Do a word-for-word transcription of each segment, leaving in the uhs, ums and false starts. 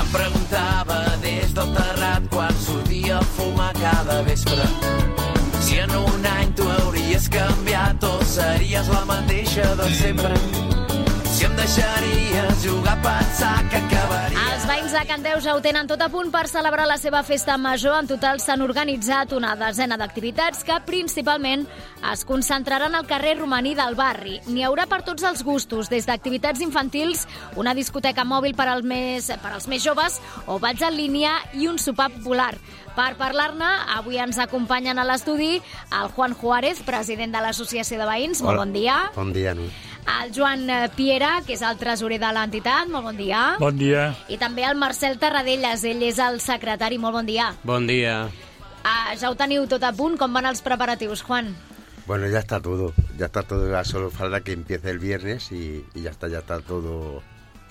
Em preguntava des del terrat quan sortia a fumar cada vespre. Si en un any tu hauries canviat o series la mateixa de sempre. Si em deixaries jugar a pensar que acabaria... Els veïns de Candeuja ho tenen tot a punt per celebrar la seva festa major. En total s'han organitzat una desena d'activitats que principalment es concentraran al carrer romaní del barri. N'hi haurà per tots els gustos, des d'activitats infantils, una discoteca mòbil per als més, per als més joves o balls en línia i un sopar popular. Per parlar-ne, avui ens acompanyen a l'estudi el Juan Juárez, president de l'Associació de Veïns. Molt bon dia. Bon dia, Nut. El Joan Piera, que és el tresorer de l'entitat. Molt bon dia. Bon dia. I també el Marcel Tarradellas, ell és el secretari. Molt bon dia. Bon dia. Ah, ja ho teniu tot a punt? Com van els preparatius, Juan? Bueno, ya está todo. Ya está todo. Ya solo falta que empiece el viernes y, y ya está, ya está todo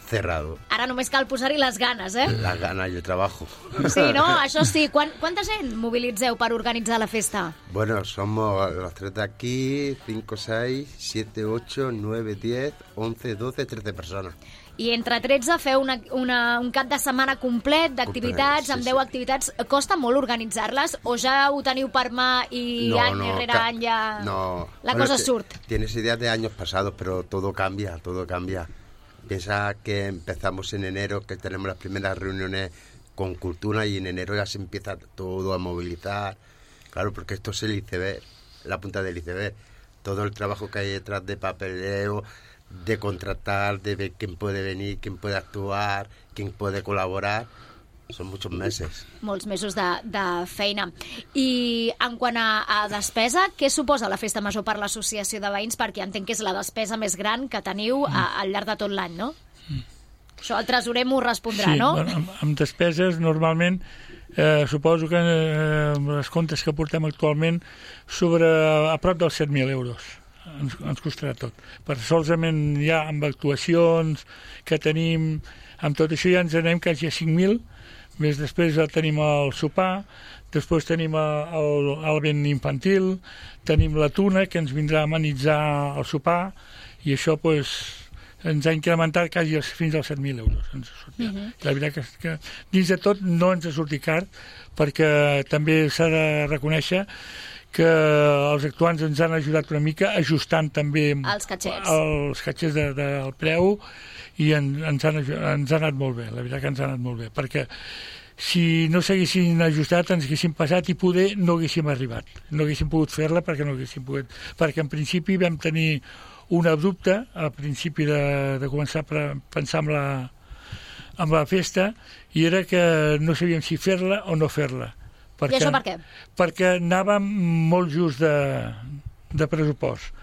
cerrado. Ara només cal posar-hi les ganes, eh? Las ganas y el trabajo. Sí, no? Això sí. Quan, quanta gent mobilitzeu per organitzar la festa? Bueno, somos los tres de aquí, cinco, seis, siete, ocho, nueve, diez, once, doce, trece personas. I entre tretze feu una, una, un cap de setmana complet d'activitats, sí, amb deu sí. activitats. Costa molt organitzar-les o ja ho teniu per mà i no, any no, rere any ja no. la bueno, cosa surt? Tienes ideas de años pasados, pero todo cambia, todo cambia. Piensa que empezamos en enero, que tenemos las primeras reuniones con cultura y en enero ya se empieza todo a movilizar. Claro, porque esto es el iceberg, la punta del iceberg. Todo el trabajo que hay detrás de papeleo, de contratar, de ver quién puede venir, quién puede actuar, quién puede colaborar. Són molts mesos. Molts mesos de, de feina. I en quant a, a despesa, què suposa la festa major per l'associació de veïns? Perquè entenc que és la despesa més gran que teniu a, al llarg de tot l'any, no? Mm. Això el tresorer m'ho respondrà, sí, no? Bueno, amb, amb despeses, normalment, eh, suposo que eh, les comptes que portem actualment sobre a prop dels set mil euros. Ens, ens costarà tot. Per solament ja amb actuacions que tenim, amb tot això ja ens anem quasi a cinc mil. Més després tenim el sopar, després tenim el, el vent infantil, tenim la tuna, que ens vindrà a amenitzar el sopar, i això pues, ens ha incrementat quasi fins als set mil euros. Ens uh -huh. La veritat que, que dins de tot no ens ha sortit car, perquè també s'ha de reconèixer que els actuants ens han ajudat una mica ajustant també els catxers, els catxers de, de, del preu, i en, ens, han, ens ha anat molt bé, la veritat que ens ha anat molt bé, perquè si no s'haguessin ajustat ens haguéssim passat i poder no haguéssim arribat, no haguéssim pogut fer-la perquè no haguéssim pogut, perquè en principi vam tenir una dubte al principi de, de començar a pensar amb la, amb la festa, i era que no sabíem si fer-la o no fer-la. Perquè, I això per què? Perquè anàvem molt just de, de pressupost.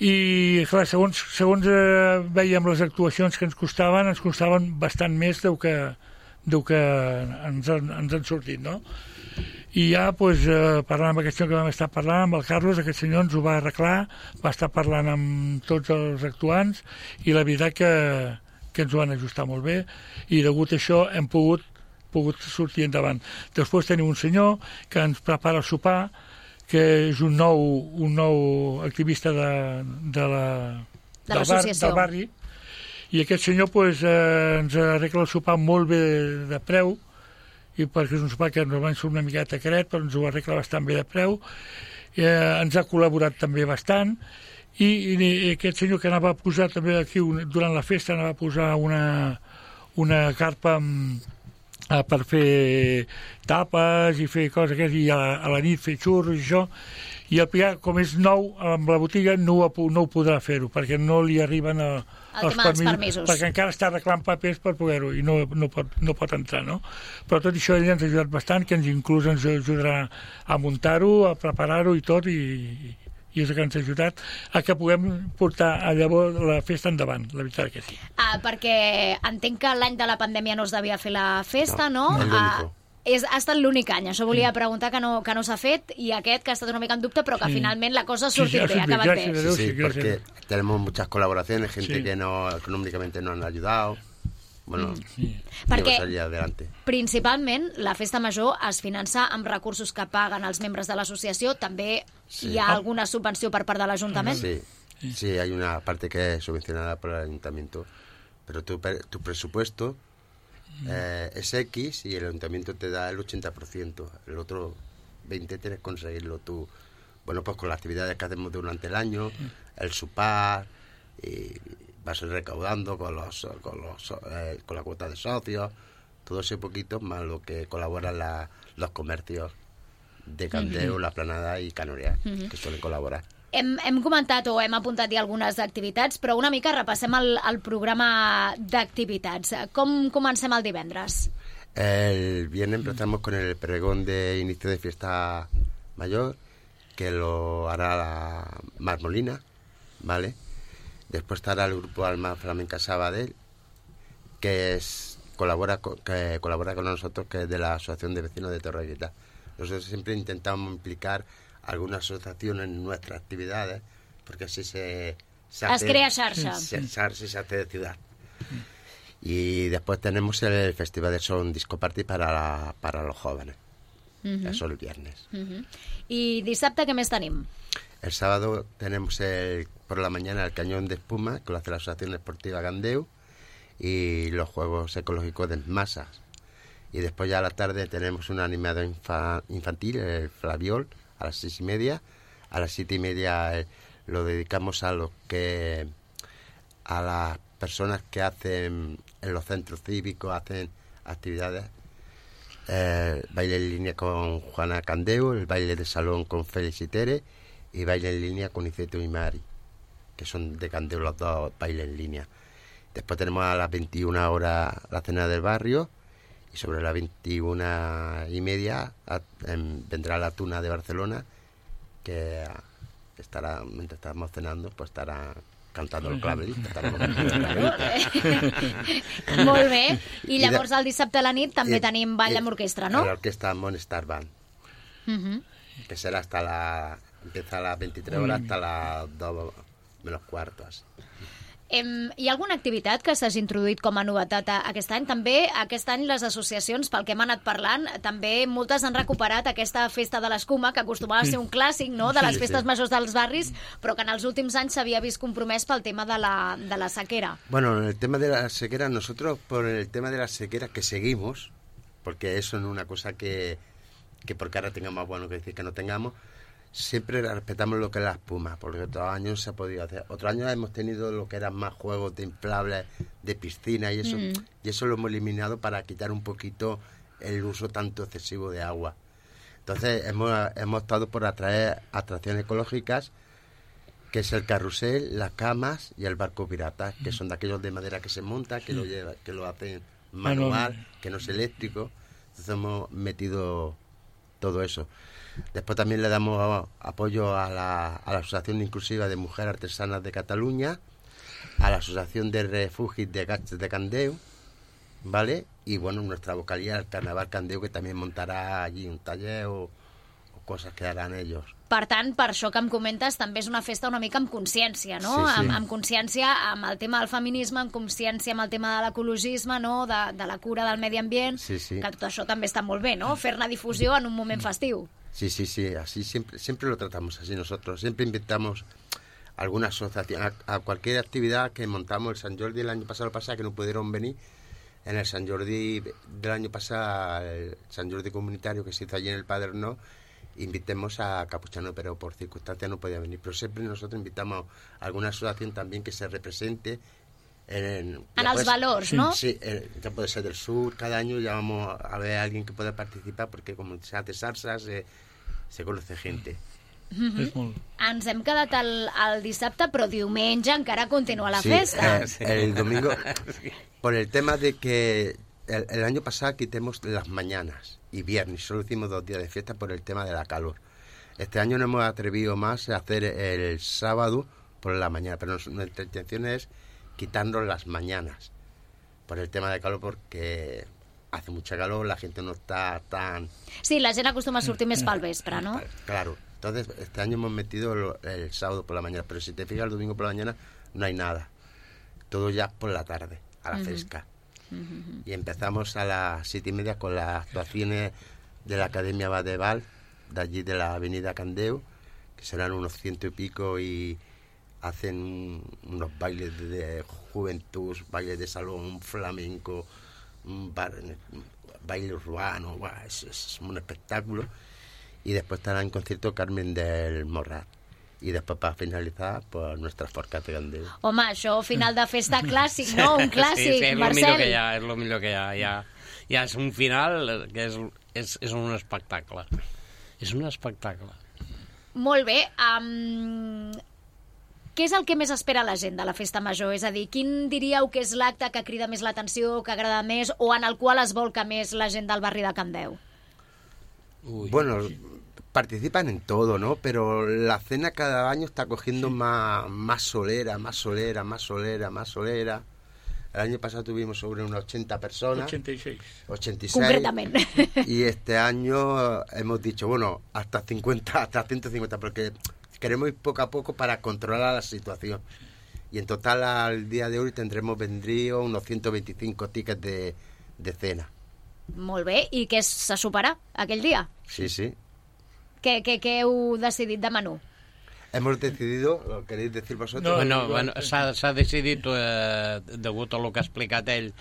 I, clar, segons, segons eh, veiem les actuacions que ens costaven, ens costaven bastant més del que, del que ens, ens han sortit, no? I ja, doncs, eh, parlant amb aquest senyor que vam estar parlant, amb el Carlos, aquest senyor ens ho va arreglar, va estar parlant amb tots els actuants, i la veritat que, que ens ho van ajustar molt bé, i degut a això hem pogut, pogut sortir endavant. Després tenim un senyor que ens prepara el sopar, que és un nou, un nou activista de, de la, de del, bar, del barri, i aquest senyor pues, eh, ens arregla el sopar molt bé de, de preu, i perquè és un sopar que normalment surt una miqueta caret, però ens ho arregla bastant bé de preu, eh, ens ha col·laborat també bastant, i, i aquest senyor que anava a posar també aquí, durant la festa, anava a posar una, una carpa amb per fer tapes i fer coses aquestes, i a, a la nit fer xurros i això, i el Pilar, com és nou amb la botiga, no ho, no ho podrà fer-ho, perquè no li arriben a, els permisos, permisos, perquè encara està arreglant papers per poder-ho, i no, no, pot, no pot entrar, no? Però tot això ell ens ha ajudat bastant, que ens inclús ens ajudarà a muntar-ho, a preparar-ho i tot, i, i és el que ens ha ajudat a que puguem portar a llavors la festa endavant, la veritat que sí. Ah, perquè entenc que l'any de la pandèmia no es devia fer la festa, no? No, ah, és, ha estat l'únic any, això volia sí. preguntar, que no, que no s'ha fet, i aquest que ha estat una mica en dubte, però que sí. finalment la cosa ha sortit sí, sí, bé, ha acabat bé. Sí, sí, porque tenemos muchas colaboraciones, gente sí. que no, económicamente nos han ayudado. Bueno, sí. Perquè principalment la festa major es finança amb recursos que paguen els membres de l'associació, també sí. hi ha alguna subvenció per part de l'Ajuntament? Sí, sí, hay una parte que es subvencionada por el Ayuntamiento, pero tu, tu presupuesto eh, es X y el ayuntamiento te da el ochenta por ciento. El otro veinte por ciento tienes que conseguirlo tú. Bueno, pues con las actividades que hacemos durante el año, el SUPAR, y vas recaudando con los con los eh, con la cuota de socios, todo ese poquito más lo que colaboran la, los comercios de Candeu, uh-huh. La Planada i Canorià, uh-huh. que suelen col·laborar. Hem, hem comentat o hem apuntat ja algunes activitats, però una mica repassem el, el programa d'activitats. Com comencem el divendres? El viernes empezamos con el pregón de inicio de fiesta mayor, que lo hará la Marmolina, ¿vale? Después estará el grupo Alma Flamenca Sabadell, que es colabora con, que colabora con nosotros, que es de la Asociación de Vecinos de Torrevieja. Nosotros siempre intentamos implicar alguna asociación en nuestras actividades, porque así se, se hace... Es crea xarxa. Se, se, se hace de ciudad. Y después tenemos el Festival de Son Disco Party para, la, para los jóvenes. Uh-huh. Eso el viernes. Uh-huh. ¿Y dissabte qué més tenim? El sábado tenemos el, por la mañana el Cañón de Espuma, que lo hace la Asociación Esportiva Candeu, y los Juegos Ecológicos de Masas. Y después ya a la tarde tenemos un animado infa, infantil, el Flaviol, a las seis y media. A las siete y media eh, lo dedicamos a los que a las personas que hacen en los centros cívicos, hacen actividades. Eh, baile en línea con Juana Candeu, el baile de salón con Félix y Tere, y baile en línea con Iceto y Mari, que son de Candeu los dos bailes en línea. Después tenemos a las veintiuna horas la cena del barrio, y sobre las veintiuna y media a, en, vendrá la Tuna de Barcelona, que estará, mientras estamos cenando, pues estará cantando el clavelista. Molt bé. I llavors el dissabte a la nit també i, tenim ball amb orquestra, ¿no? L'orquestra Monestar Band, uh-huh. que será hasta la... empieza a las veintitrés horas hasta las dos menos cuarto, así. Em, hi ha alguna activitat que s'hagi introduït com a novetat aquest any? També aquest any les associacions, pel que hem anat parlant, també moltes han recuperat aquesta festa de l'escuma, que acostumava a ser un clàssic, no?, de les festes sí, sí. majors dels barris, però que en els últims anys s'havia vist compromès pel tema de la, de la sequera. Bueno, en el tema de la sequera, nosotros por el tema de la sequera que seguimos, porque eso no es una cosa que, que porque ahora tengamos bueno que decir que no tengamos, siempre respetamos lo que es la espuma, porque otros años se ha podido hacer. Otros años hemos tenido lo que eran más juegos de inflables, de piscina y eso, mm. y eso lo hemos eliminado para quitar un poquito el uso tanto excesivo de agua. Entonces hemos, hemos optado por atraer atracciones ecológicas, que es el carrusel, las camas y el barco pirata, que son de aquellos de madera que se monta, que lo lleva, que lo hacen manual, que no es eléctrico. Entonces hemos metido todo eso. Después también le damos apoyo a la, a la Asociación Inclusiva de Mujeres Artesanas de Cataluña, a la Asociación de Refugis de Gats de Candeu, ¿vale? Y bueno, nuestra vocalía, el Carnaval Candeu, que también montará allí un taller o, o cosas que harán ellos. Per tant, per això que em comentes, també és una festa una mica amb consciència, no? Sí, sí. Amb, amb consciència amb el tema del feminisme, amb consciència amb el tema de l'ecologisme, no? De, de la cura del medi ambient, sí, sí. que tot això també està molt bé, no? Fer-ne difusió en un moment festiu. Sí, sí, sí, así siempre, siempre lo tratamos así nosotros. Siempre invitamos alguna asociación, a, a cualquier actividad que montamos. El Sant Jordi el año pasado, pasado que no pudieron venir. En el Sant Jordi del año pasado, el Sant Jordi comunitario que se hizo allí en el Padernó, invitemos a Capuchano, pero por circunstancias no podía venir. Pero siempre nosotros invitamos a alguna asociación también que se represente en, en, en els valors, sí, ¿no? Sí, eh, ya puede ser del sur. Cada año ya vamos a ver a alguien que pueda participar, porque como se hace salsa, se, se conoce gente. Mm-hmm. Ens hem quedat el, el dissabte, però diumenge encara continua la sí, festa. Eh, el domingo, por el tema de que el, el año pasado quitemos las mañanas y viernes, solo hicimos dos días de fiesta por el tema de la calor. Este año no hemos atrevido más a hacer el sábado por la mañana, pero nuestra intención es quitarnos las mañanas por el tema de calor, porque hace mucha calor, la gente no está tan... Sí, la gent acostuma a sortir més pel vespre, ¿no? Claro, entonces este año hemos metido el sábado por la mañana, pero si te fijas el domingo por la mañana no hay nada, todo ya por la tarde, a la uh-huh. fresca. Uh-huh. Y empezamos a las siete y media con las actuaciones de la Academia Badeval, de allí de la avenida Candeu, que serán unos ciento y pico, y hacen unos bailes de juventud, bailes de salón, flamenco, un, bar, un baile urbano, buah, es, es un espectáculo. Y después estará en concierto Carmen del Morrat. I després, per finalitzar, pues, nuestra Forcat de Candeu. Home, això, final de festa clàssic, no? Un clàssic, sí, sí, és Marcel. Millor que hi ha, és el millor que hi ha. Ja, ja és un final que és, és, és un espectacle. És un espectacle. Molt bé. Um, què és el que més espera la gent de la festa major? És a dir, quin diríeu que és l'acte que crida més l'atenció, que agrada més, o en el qual es volca més la gent del barri de Candeu? Uy. Bueno, participan en todo, ¿no? Pero la cena cada año está cogiendo sí. más, más solera, más solera, más solera, más solera. El año pasado tuvimos sobre unas ochenta personas. ochenta y seis. ochenta y seis. Concretamente. Y este año hemos dicho, bueno, hasta cincuenta, hasta ciento cincuenta, porque queremos ir poco a poco para controlar la situación. Y en total al día de hoy tendremos vendrío unos ciento veinticinco tickets de, de cena. Molt bé. I què se soparà aquell dia? Sí, sí. Què, què, què heu decidit de menú? Hemos decidido, ¿lo queréis decir vosotros? No, bueno, bueno, s'ha decidit, eh, degut a lo que ha explicat ell,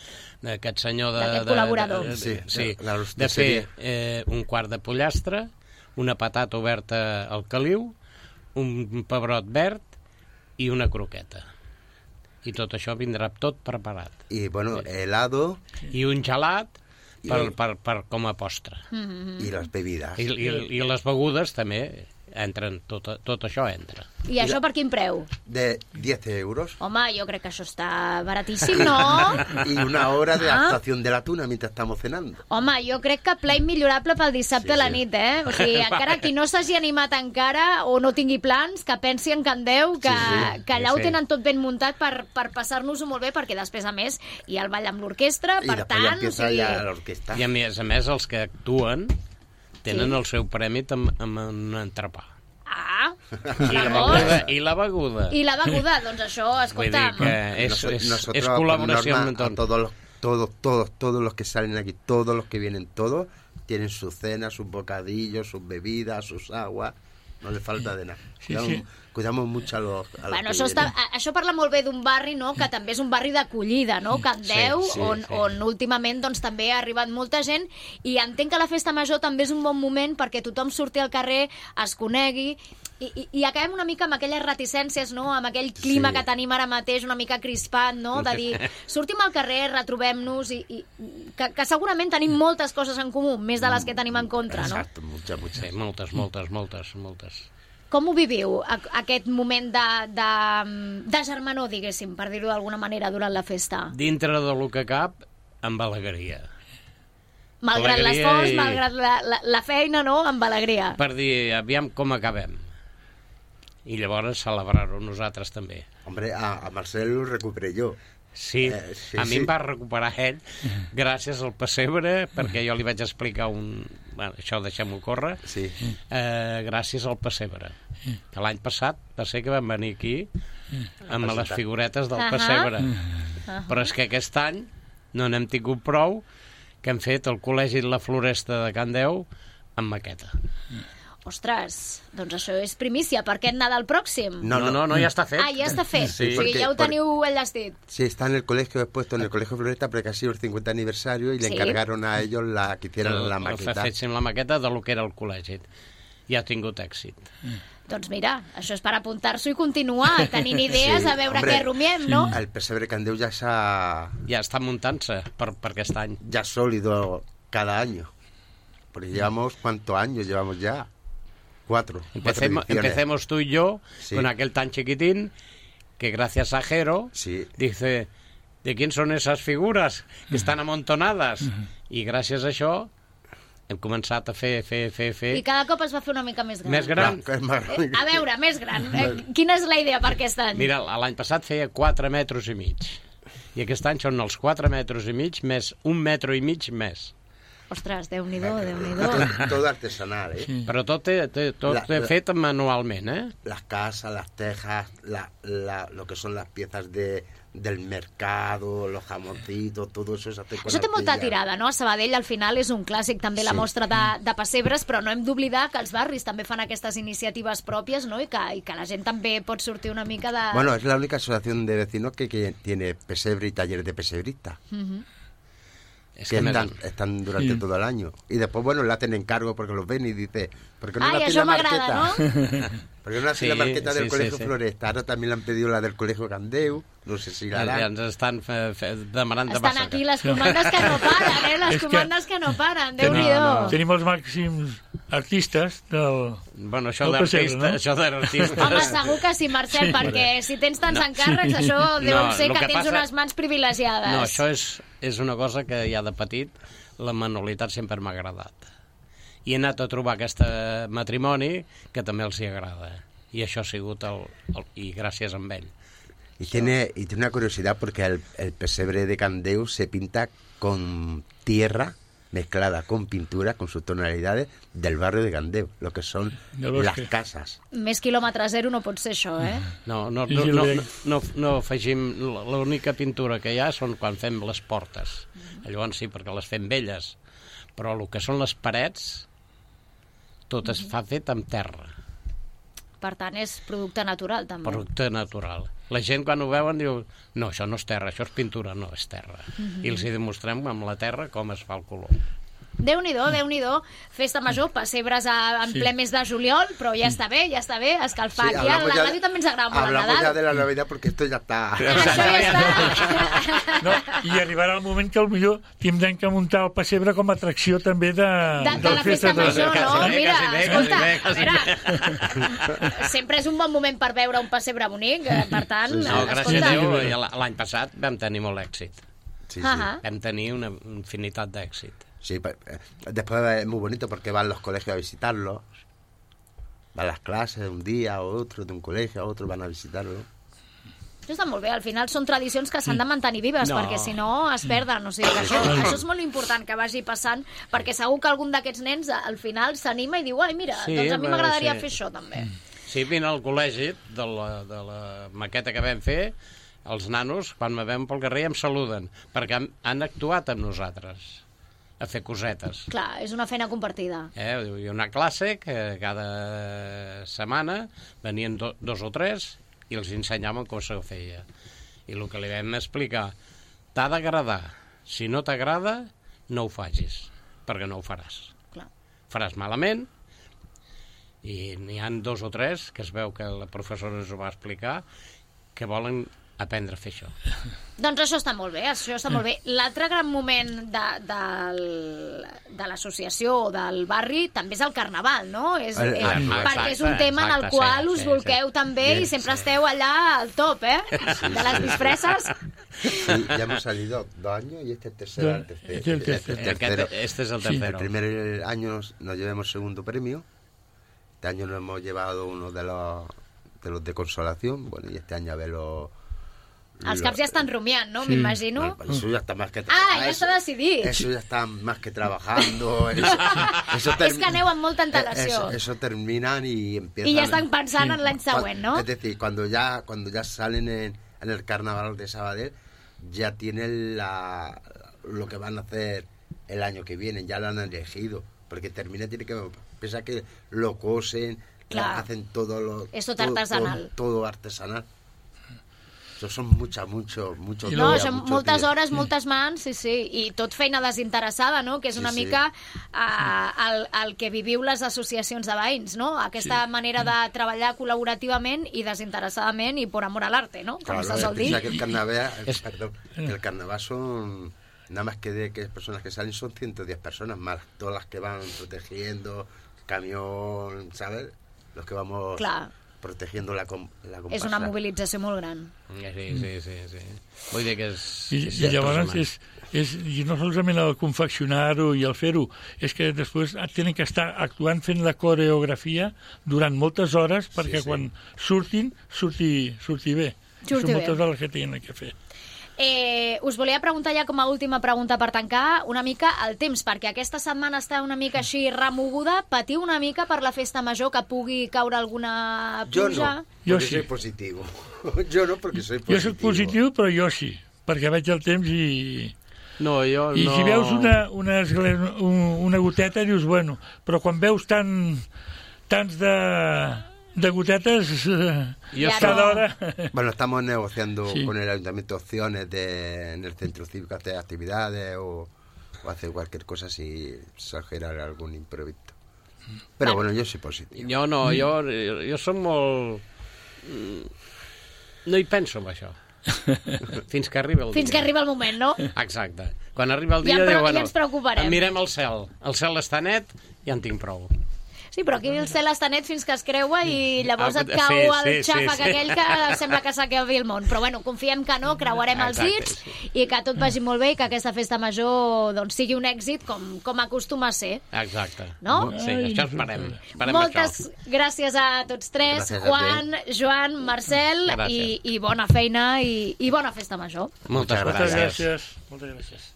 d'aquest senyor de... D'aquest col·laborador. De, de, sí, sí, la, la de fer eh, un quart de pollastre, una patata oberta al caliu, un pebrot verd i una croqueta. I tot això vindrà tot preparat. I, bueno, helado... I un gelat per, per, per com a postre. Mm-hmm. I les bebides. I, i, i les begudes també entren, tot, tot això entra. I això per quin preu? De diez euros. Home, jo crec que això està baratíssim, no? Y una hora de Ah. actuación de la tuna mientras estamos cenando. Home, jo crec que pla immillorable pel dissabte Sí, a la sí. nit, eh? O sigui, encara qui no s'hagi animat encara o no tingui plans, que pensi en Candeu, que, Sí, sí. que allà Sí, ho sí. tenen tot ben muntat per, per passar-nos-ho molt bé, perquè després, a més, hi ha el ball amb l'orquestra, Y per después ya tant... o empieza sigui, ya la orquesta. I a més a més, els que actuen tenen Sí. el seu premi amb, amb un entrepà. Ah, I la beguda. I la beguda. I la beguda, doncs això, Vull dir escolta'm... que és, Noso- és, nosotros, és por col·laboració norma, amb a tot. todos los, todos, todos, todos los que salen aquí, todos los que vienen, todos, tienen su cena, sus bocadillos, sus bebidas, sus aguas, no le falta de nada. Sí, cuidamos, sí. cuidamos mucho a los, a los Bueno, que això, està, vienen. a- això parla molt bé d'un barri, no?, que també és un barri d'acollida, no?, Candeu, Sí, sí, on, sí. on últimament doncs, també ha arribat molta gent, i entenc que la festa major també és un bon moment perquè tothom surti al carrer, es conegui, i, i, i acabem una mica amb aquelles reticències, no?, amb aquell clima Sí. que tenim ara mateix, una mica crispat, no?, de dir, sortim al carrer, retrobem-nos, i, i que, que segurament tenim moltes coses en comú, més de les que tenim en contra, no? Exacto, muchas, muchas. Sí, moltes, moltes, moltes, moltes. Com ho viviu, a, aquest moment de, de, de germanor, diguéssim, per dir-ho d'alguna manera, durant la festa? Dintre de lo que cap, amb alegria. Malgrat Alegria l'esforç, i- malgrat la, la, la feina, no?, amb alegria. Per dir, aviam com acabem. I llavors celebrar-ho nosaltres també. Hombre, a, a Marcel lo recuperé yo. Sí, Eh, sí, a mi sí. em va recuperar ell gràcies al pessebre, perquè jo li vaig explicar un... Bueno, això deixem-ho córrer. Sí. Eh, gràcies al pessebre. Que l'any passat va ser que vam venir aquí amb les figuretes del Ahà. pessebre. Però és que aquest any no n'hem tingut prou, que hem fet el Col·legi de la Floresta de Candeu amb maqueta. Ostres, doncs això és primícia per aquest Nadal pròxim. No, No, no, no, ja està fet. Ah, ja està fet. Sí, o sigui, perquè- ja ho per- teniu enllestit. Sí, está en el colegio, he puesto en el colegio Floresta porque ha sido el cincuenta aniversario y le Sí. encargaron a ellos la que hicieran la El- maqueta. Féssim la maqueta de lo que era el col·legi. I ha tingut èxit. Doncs mira, això és per apuntar-s'ho i continuar tenint idees, Sí, a veure hombre, què rumiem, no? El pesebre Candeu ya, se ha- Ja està muntant-se per, per aquest any. ya es sólido cada año. Porque llevamos, ¿cuántos años llevamos ya? Cuatro. cuatro Empecemos, ediciones. empecemos tú y yo Sí. con aquel tan chiquitín que gracias a Jero Sí. dice, ¿de quién son esas figuras que estan amontonades? I gràcies a això hem començat a fer, fer, fer, fer... I cada cop es va fer una mica més gran. Més gran. Claro, que es más Eh, a veure, més gran. Eh, quina és la idea per aquest any? Mira, l'any passat feia quatre metres i mig. I aquest any són els quatre metres i mig més un metro i mig més. Ostres, Déu-n'hi-do, Déu-n'hi-do. todo, todo artesanal, ¿eh? Però tot, té, té, tot La- la, la- fet manualment, eh? Las casas, las tejas, la, la, lo que son las piezas de, del mercado, los jamoncitos, todo eso se hace con Això té molta arcilla. tirada, no? A Sabadell al final és un clàssic també la Sí. mostra de, de pessebres, però no hem d'oblidar que els barris també fan aquestes iniciatives pròpies, no? I que, i que la gent també pot sortir una mica de... Bueno, es la única asociación de vecinos que, que tiene pesebre y taller de pesebrista. Es que que están, me... están durante Sí. todo el año. Y después, bueno, le hacen encargo porque los ven y dice, ¿por qué no Ai, le hacen això la m'agrada, marqueta? no? ¿Por qué no le hacen Sí, la marqueta del sí, Colegio sí, sí. Floresta? Ahora también le han pedido la del Colegio Candeu, no sé si la Ja harán. ens estan fe, fe, demanant de Estan massa. aquí les comandes que no paren, eh? Les És que- comandes que no paren, Tenim, Déu-n'hi-do. tenim els màxims artistes del... Bueno, això El pessebre, d'artista, no? això d'artistes... Home, segur que sí, Marcel, Sí. perquè si tens tants No. encàrrecs, això deu No, ser el que, que tens passa- unes mans privilegiades. No, això és, és una cosa que ja de petit la manualitat sempre m'ha agradat. I he anat a trobar aquest matrimoni que també els hi agrada. I això ha sigut el... el i gràcies a ell. Y tiene, y tiene una curiosidad porque el, el pesebre de Candeu se pinta con tierra mezclada con pintura, con sus tonalidades del barrio de Candeu, lo que son Del las bosque. casas. Més quilòmetre zero no pot ser això, eh? No, no, Sí, no, sí, no, ho no, veig. no, no afegim... L'única pintura que hi ha són quan fem les portes. Llavors sí, perquè les fem velles. Però el que són les parets, tot es fa fet amb terra. Per tant, és producte natural, també. Producte natural. La gent quan ho veuen diu no, això no és terra, això és pintura, no, és terra. I els hi demostrem amb la terra com es fa el color. Déu-n'hi-do, Déu-n'hi-do. Festa major, pessebres a, en Sí. ple mes de juliol, però ja està bé, ja està bé, escalfar. Sí, Aquí a hablamos la ya- ràdio també ens agrada molt el Hablamos ya Nadal. de la Navidad porque esto ya está. Això ja està. No, i arribarà el moment que potser tindrem que muntar el pessebre com a atracció també de, De, de la festa major, Quasi no? bé, Mira, quasi bé, escolta, quasi bé, quasi a veure, sempre és un bon moment per veure un pessebre bonic, eh, per tant, Sí, sí. No, gràcies escolta... a Déu, ja l'any passat vam tenir molt èxit. Sí, sí. Ajá. Vam tenir una infinitat d'èxit. Sí, pa- eh, después es muy bonito porque van los colegios a visitarlos. Van las clases de un día a otro, de un colegio a otro, van a visitarlo. Això està molt bé, al final són tradicions que s'han de mantenir vives, No. perquè si no es perden, o sigui que això, això és molt important que vagi passant, perquè segur que algun d'aquests nens al final s'anima i diu, ai mira, Sí, doncs a mi va, m'agradaria sí. fer això també. Sí, vine al col·legi de la, de la maqueta que vam fer, els nanos, quan me veuen pel carrer, em saluden, perquè han, han actuat amb nosaltres a fer cosetes. Clar, és una feina compartida. Eh? Hi ha una classe que cada setmana venien do, dos o tres i els ensenyaven com se feia. I el que li vam explicar, t'ha d'agradar. Si no t'agrada, no ho facis, perquè no ho faràs. Clar. Faràs malament, i n'hi han dos o tres que es veu que la professora ens ho va explicar, que volen aprendre a fer això. Doncs això està molt bé, això està molt bé. L'altre gran moment de, del, de l'associació o del barri també és el carnaval, no? És, El- és, el- perquè és un exacte, tema en el exacte, qual sí, us sí, bolqueu sí. també i sempre esteu allà al top, eh? De les disfresses. Sí, ya hemos salido dos años y este es el tercero. Ya, el tercero, este es el este es tercero. el tercero. Aquest, este és el Sí. El tercero. primer año nos, nos llevamos segundo premio. Este año nos hemos llevado uno de los de los de consolación. Bueno, y este año a ver los... Els los- caps ja estan rumiant, no? Sí. M'imagino. Bueno, eso ya está más que Ah, trabajando. ja està decidit. Eso ya está más que trabajando. Eso, eso És termi- que aneu amb molta Eh, antelació. Eso, eso terminan y empiezan... I ja estan pensant Sí. en l'any següent, no? Es decir, cuando ya cuando ya salen en, en el carnaval de Sabadell, ya tienen la, lo que van a hacer el año que viene, ya lo han elegido. Porque termina, tiene que pensar que lo cosen, Claro. hacen todo lo... Es todo todo, artesanal. Todo, todo artesanal. Eso son muchas, mucho, mucho I No, día, són mucho moltes día. hores, moltes mans, sí, sí, i tot feina desinteressada, no? Que és Sí, una sí. mica uh, el, el que viviu les associacions de veïns, no? Aquesta Sí. manera de treballar col·laborativament i desinteressadament i por amor al arte, no? Com Claro, se sol dir. piensa que el carnaval, Es- perdón, que el carnaval son nada más que de que personas que salen son ciento diez personas más todas las que van protegiendo camión, ¿sabes? Los que vamos Clar. protegiendo la com la És comparsa. una mobilització molt gran. Sí, sí, sí, sí. Vull dir que és... I, és i llavors impressionant. és, és, i no solament el confeccionar-ho i el fer-ho, és que després tenen que estar actuant fent la coreografia durant moltes hores perquè sí. quan surtin, surti, surti bé. Surti Són bé. moltes hores que tenen que fer. Eh, us volia preguntar ja com a última pregunta per tancar una mica el temps, perquè aquesta setmana està una mica així remoguda. Patiu una mica per la festa major, que pugui caure alguna Yo pluja? no, Yo porque sí. soy positivo. Yo no, porque soy positivo. Jo soc positiu, però jo sí, perquè veig el temps i... No, jo I no... si veus una, una, esgle- un- una goteta, dius, bueno, però quan veus tant, tants de, de gotetes, eh, Jo Ja cada no. hora... Bueno, estamos negociando Sí. con el ayuntamiento opciones de en el centro cívico hacer actividades o o hacer cualquier cosa si exagera algún imprevisto. Pero bueno, yo soy positivo. Jo no, jo, jo som molt... No hi penso en això. Fins que arriba el dia. Fins que arriba el moment, no? Exacte. Quan arriba el dia, Ja, diu, ja bueno, ens preocuparem. mirem el cel. El cel està net, ja en tinc prou. Sí, però aquí el cel està net fins que es creua i llavors Ah, et cau sí, el sí, sí, xàfec sí. aquell que sembla que s'acabi el món. Però bueno, confiem que no, creuarem els Exacte, dits i que tot vagi molt bé i que aquesta festa major doncs, sigui un èxit com, com acostuma a ser. Exacte. No? Sí, això esperem. esperem Moltes això. gràcies a tots tres, Gràcies a Juan, Joan, Marcel, i, Gràcies. i bona feina i, i bona festa major. Moltes Moltes Moltes gràcies. gràcies. Moltes gràcies.